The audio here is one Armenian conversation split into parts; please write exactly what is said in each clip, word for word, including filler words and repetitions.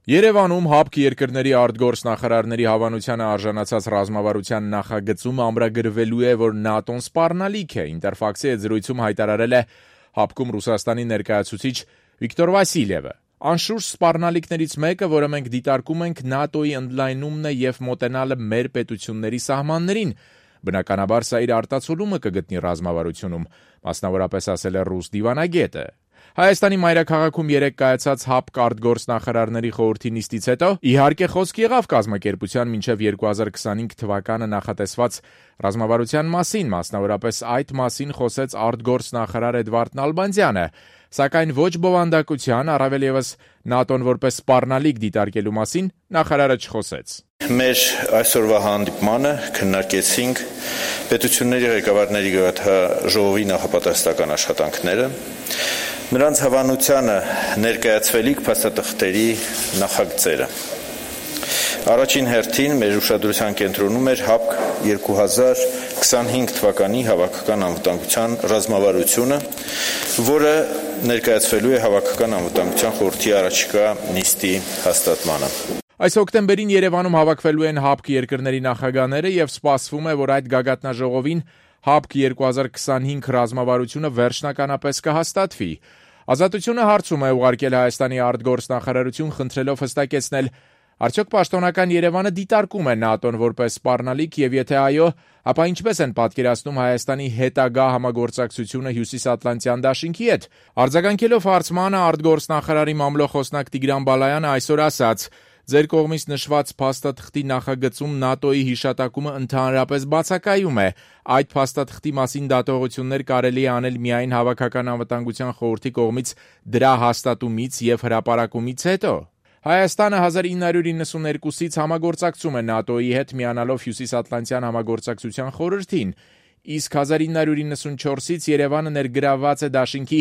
Երևանում ՀԱՊԿ երկրների արտգործնախարարների հավանությանը արժանացած ռազմավարության նախագծում ամրագրվելու է, որ ՆԱՏՕ-ն սպառնալիք է, Ինտերֆաքսի հետ զրույցում հայտարարել է ՀԱՊԿ-ում Ռուսաստանի ներկայացուցիչ Վիկտոր Վասիլյևը։ Անշուշտ սպառնալիքներից մեկը, որը մենք դիտարկում ենք, ՆԱՏՕ-ի ընդլայնումն է եւ մոտենալը մեր պետությունների սահմաններին։ Բնականաբար սա իր արտացոլումը կգտնի ռազմավարությունում, մասնավորապես ասել է ռուս դիվանագետը։ Հայաստանի մայրաքաղաքում երեկ կայացած ՀԱՊԿ արտգործնախարարների խորհրդի նիստից հետո իհարկե խոսք եղավ կազմակերպության մինչև երկու հազար քսանհինգ թվականը նախատեսված ռազմավարության մասին, մասնավորապես այդ մասին խոսեց արտգործնախարար Էդվարդ Նալբանդյանը, սակայն ոչ բովանդակության, առավել ևս ՆԱՏՕ-ն որպես սպառնալիք դիտարկելու մասին նախարարը չխոսեց։ Մեր այսօրվա հանդիպմանը քննարկեցինք պետությունների ղեկավարների գագաթնաժողովի նախապատրաստական աշխատանքները, նրանց հավանությանը ներկայացվելիք փաստաթղթերի նախագծերը։ Առաջին հերթին մեր ուշադրության կենտրոնում էր ՀԱՊԿ երկու հազար քսանհինգ թվականի հավաքական անվտանգության ռազմավարությունը, որը ներկայացվելու է հավաքական անվտանգության խորհրդի առաջիկա նիստի հաստատմանը։ Այս հոկտեմբերին Երևանում հավաքվելու են ՀԱՊԿ երկրների նախագահները եւ սպասվում է, որ այդ գագաթնաժողովին ՀԱՊԿ երկու հազար քսանհինգ ռազմավարությունը վերջնականապես կհաստատվի։ Ազատությունը հարցում է ուղարկել Հայաստանի արտգործնախարարություն, խնդրելով հստակեցնել, արդյոք պաշտոնական Երևանը դիտարկում է ՆԱՏՕ-ն որպես սպառնալիք եւ եթե այո, ապա ինչպես են պատկերացնում Հայաստանի հետագա համագործակցությունը Հյուսիսատլանտյան դաշինքի հետ։ Արձագանքելով հարցմանը արտգործնախարարի մամլոխոսնակ Տիգրան Բալայանը այսօր ասաց. Ձեր կողմից նշված փաստաթղթի նախագծում ՆԱՏՕ-ի հիշատակումը ընդհանրապես բացակայում է։ Այդ փաստաթղթի մասին դատողություններ կարելի է անել միայն Հավաքական անվտանգության խորհրդի կողմից դրա հաստատումից եւ հրապարակումից հետո։ Հայաստանը հազար ինը հարյուր իննսուններկուսից համագործակցում է ՆԱՏՕ-ի հետ միանալով Հյուսիսատլանտյան համագործակցության խորհրդին, իսկ հազար ինը հարյուր իննսունչորսից Երևանը ներգրավված է դաշինքի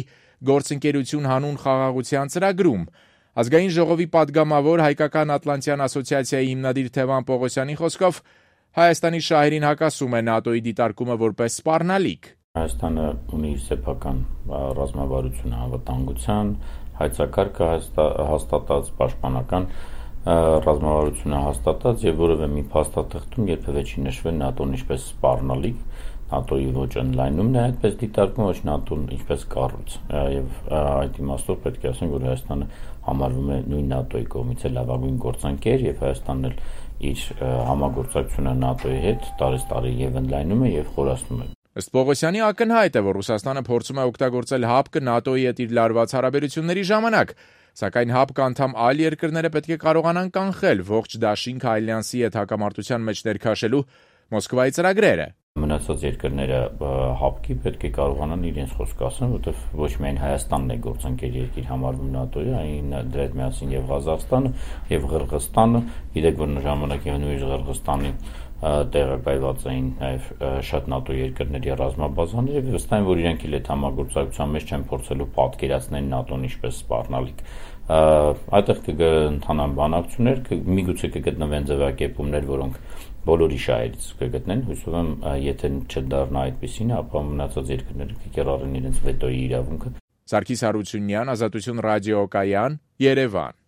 գործընկերություն հանուն խաղաղության ծրագրում։ Ազգային ժողովի падգամավոր Հայկական Ատլանտյան ասոցիացիայի հիմնադիր Թևան Պողոսյանի խոսքով Հայաստանի շահերին հակասում է ՆԱՏՕ-ի դիտարկումը որպես սպառնալիք։ Հայաստանը ունի սեփական ռազմավարություն անվտանգության, հայեցակարգը հաստատած, պաշտպանական ռազմավարությունը հաստատած եւ որևէ մի փաստաթղթում երբևէ չի նշվել ՆԱՏՕ-ն ինչպես սպառնալիք, ՆԱՏՕ-ի ոչ ընդլայնումն է այդպես դիտարկվում, ոչ ՆԱՏՕ-ն ինչպես կառույց եւ այդ իմաստով պետք է ասենք, որ Հայաստանը համարվում է նույն ՆԱՏՕ-ի կողմից լավագույն գործընկեր եւ Հայաստանն էլ իր համագործակցությունը ՆԱՏՕ-ի հետ տարեստարի եւ ընդլայնում է եւ խորացնում է։ Ըստ Պողոսյանի ակնհայտ է, որ Ռուսաստանը փորձում է օգտագործել ՀԱՊԿ ՆԱՏՕ-ի հետ իր լարված հարաբերությունների ժամանակ, սակայն ՀԱՊԿ անդամ այլ երկրները պետք է կարողանան կանխել ողջ դաշինք ալյանսի հետ հակամարտության մեջ ներքաշելու Մոսկվայի ծրագրերը։ Մնացած երկրները ՀԱՊԿ-ի պետք է կարողանան իրենց խոսքը ասեն, որտեղ ոչ միայն Հայաստանն է գործընկեր երկիր համարվում ՆԱՏՕ-ի, այլ դրա հետ միասին եւ Ղազախստանը եւ Ղրղստանը, գիտեք, որ ժամանակի նույնիսկ Ղրղստանի տեղակայված էին նաև շատ ՆԱՏՕ երկրների ռազմաբազաներ եւ վստահ եմ, որ իրենք էլ այդ համագործակցության մեջ չեն փորձելու պատկերացնել ՆԱՏՕ-ն ինչպես սպառնալիք։ Այդտեղ կընթանան բանակցություններ, միգուցե կգտնվեն ձևակերպումներ, որոնք բոլորի շահերից կգտնեն, հույսով եմ, եթե չդառնա այդպեսին, ապա մնացած երկրները կկիրառեն իրենց վետոյի իրավունքը։ Սարգիս Հարությունյան, Ազատություն ռադիոկայան, Երևան։